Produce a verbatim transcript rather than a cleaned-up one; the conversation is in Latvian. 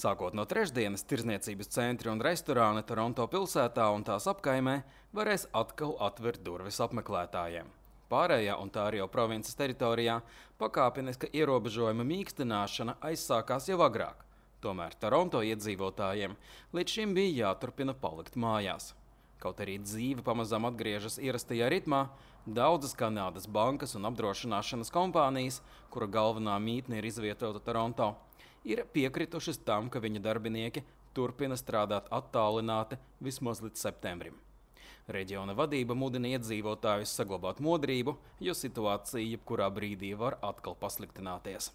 Sākot no trešdienas, tirdzniecības centri un restorāni Toronto pilsētā un tās apkaimē varēs atkal atvērt durvis apmeklētājiem. Pārējā un tā arī jau provinces teritorijā pakāpeniska ierobežojuma mīkstināšana aizsākās jau agrāk. Tomēr Toronto iedzīvotājiem līdz šim bija jāturpina palikt mājās. Kaut arī dzīve pamazām atgriežas ierastajā ritmā, daudzas Kanādas bankas un apdrošināšanas kompānijas, kura galvenā mītne ir izvietota Toronto, ir piekritušas tam, ka viņa darbinieki turpina strādāt attālināti vismaz līdz septembrim. Reģiona vadība mudina iedzīvotājus saglabāt modrību, jo situācija jebkurā brīdī var atkal pasliktināties.